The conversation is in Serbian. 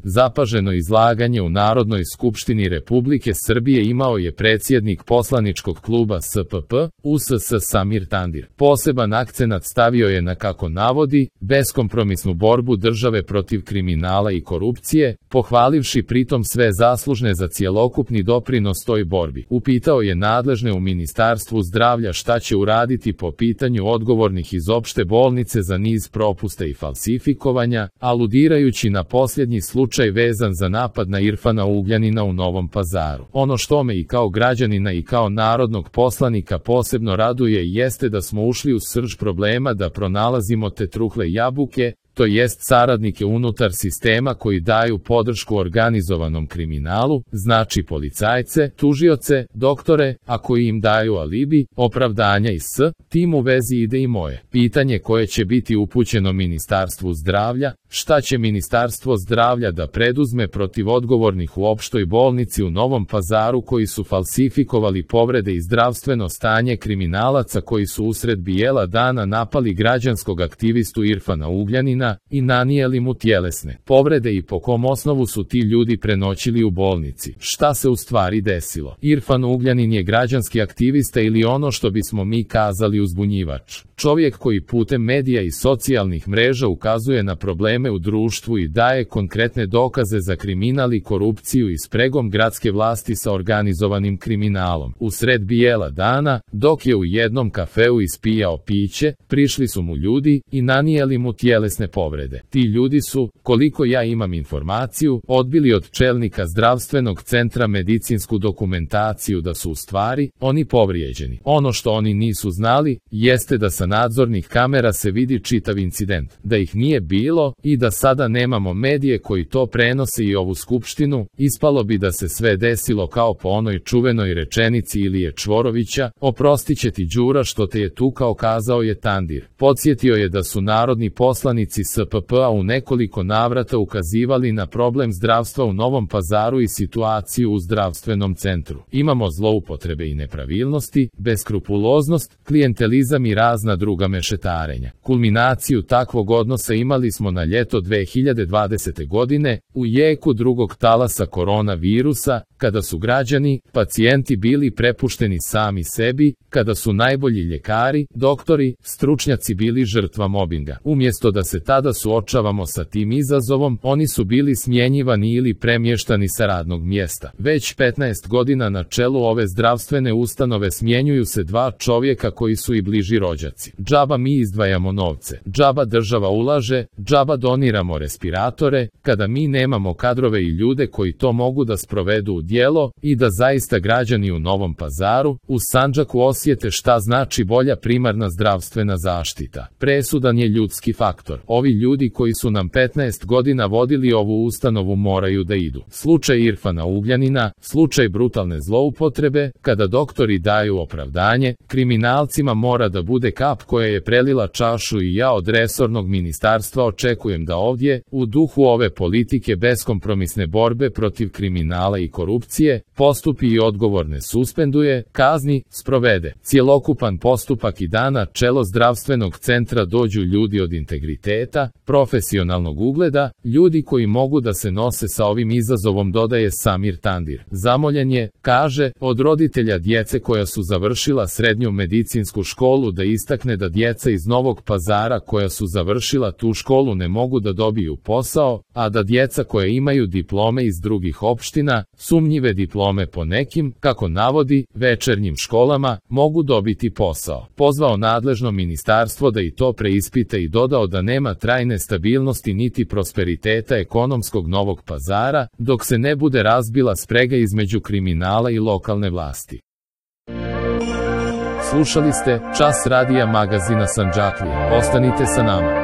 Zapaženo izlaganje u Narodnoj skupštini Republike Srbije imao je predsjednik poslaničkog kluba SPP, USS Samir Tandir. Poseban akcenat stavio je na, kako navodi, beskompromisnu borbu države protiv kriminala i korupcije, pohvalivši pritom sve zaslužne za cjelokupni doprinos toj borbi. Upitao je nadležne u Ministarstvu zdravlja šta će uraditi po pitanju odgovornih iz opšte bolnice za niz propusta i falsifikovanja, aludirajući na posljednji slučaj vezan za napad na Irfana Ugljanina u Novom Pazaru. Ono što me i kao građanina i kao narodnog poslanika posebno raduje jeste da smo ušli u srž problema, da pronalazimo te trule jabuke, to jest saradnike unutar sistema koji daju podršku organizovanom kriminalu, znači policajce, tužioce, doktore, a koji im daju alibi, opravdanja i tim u vezi ide i moje pitanje koje će biti upućeno Ministarstvu zdravlja: šta će Ministarstvo zdravlja da preduzme protiv odgovornih u opštoj bolnici u Novom Pazaru koji su falsifikovali povrede i zdravstveno stanje kriminalaca koji su usred bijela dana napali građanskog aktivistu Irfana Ugljanina i nanijeli mu tjelesne povrede i po kom osnovu su ti ljudi prenoćili u bolnici? Šta se u stvari desilo? Irfan Ugljanin je građanski aktivista ili ono što bismo mi kazali uzbunjivač. Čovjek koji putem medija i socijalnih mreža ukazuje na probleme u društvu i daje konkretne dokaze za kriminal i korupciju i spregom gradske vlasti sa organizovanim kriminalom. U sred bijela dana, dok je u jednom kafeu ispijao piće, prišli su mu ljudi i nanijeli mu tjelesne povrede. Ti ljudi su, koliko ja imam informaciju, odbili od čelnika zdravstvenog centra medicinsku dokumentaciju da su u stvari oni povrijeđeni. Ono što oni nisu znali jeste da sa nadzornih kamera se vidi čitav incident, da ih nije bilo i da sada nemamo medije koji to prenose i ovu skupštinu. Ispalo bi da se sve desilo kao po onoj čuvenoj rečenici Ilije Čvorovića: oprostit će ti Đura što te je tukao, kazao je Tandir. Podsjetio je da su narodni poslanici SPP-a u nekoliko navrata ukazivali na problem zdravstva u Novom Pazaru i situaciju u zdravstvenom centru. Imamo zloupotrebe i nepravilnosti, beskrupuloznost, klijentelizam i razna druga mešetarenja. Kulminaciju takvog odnosa imali smo na ljeto 2020. godine, u jeku drugog talasa koronavirusa, kada su građani, pacijenti bili prepušteni sami sebi, kada su najbolji ljekari, doktori, stručnjaci bili žrtva mobinga. Umjesto da se tada suočavamo sa tim izazovom, oni su bili smjenjivani ili premještani sa radnog mjesta. Već 15 godina na čelu ove zdravstvene ustanove smjenjuju se dva čovjeka koji su i bliži rođaci. Džaba mi izdvajamo novce, džaba država ulaže, džaba doniramo respiratore, kada mi nemamo kadrove i ljude koji to mogu da sprovedu u djelo i da zaista građani u Novom Pazaru, u Sandžaku osjete šta znači bolja primarna zdravstvena zaštita. Presudan je ljudski faktor. Ovi ljudi koji su nam 15 godina vodili ovu ustanovu moraju da idu. Slučaj Irfana Ugljanina, slučaj brutalne zloupotrebe, kada doktori daju opravdanje, kriminalcima mora da bude kap koja je prelila čašu i ja od resornog ministarstva očekujem da ovdje, u duhu ove politike beskompromisne borbe protiv kriminala i korupcije, postupi i odgovorne suspenduje, kazni, sprovede cjelokupan postupak i da na čelo zdravstvenog centra dođu ljudi od integriteta, profesionalnog ugleda, ljudi koji mogu da se nose sa ovim izazovom, dodaje Samir Tandir. Zamoljen je, kaže, od roditelja djece koja su završila srednju medicinsku školu da istakne da djeca iz Novog Pazara koja su završila tu školu ne mogu da dobiju posao, a da djeca koja imaju diplome iz drugih opština, sumnjive diplome po nekim, kako navodi, večernjim školama, mogu dobiti posao. Pozvao nadležno ministarstvo da i to preispita i dodao da nema trajne stabilnosti niti prosperiteta ekonomskog Novog Pazara, dok se ne bude razbila sprega između kriminala i lokalne vlasti. Slušali ste Čas radija magazina Sandžaklija. Ostanite sa nama.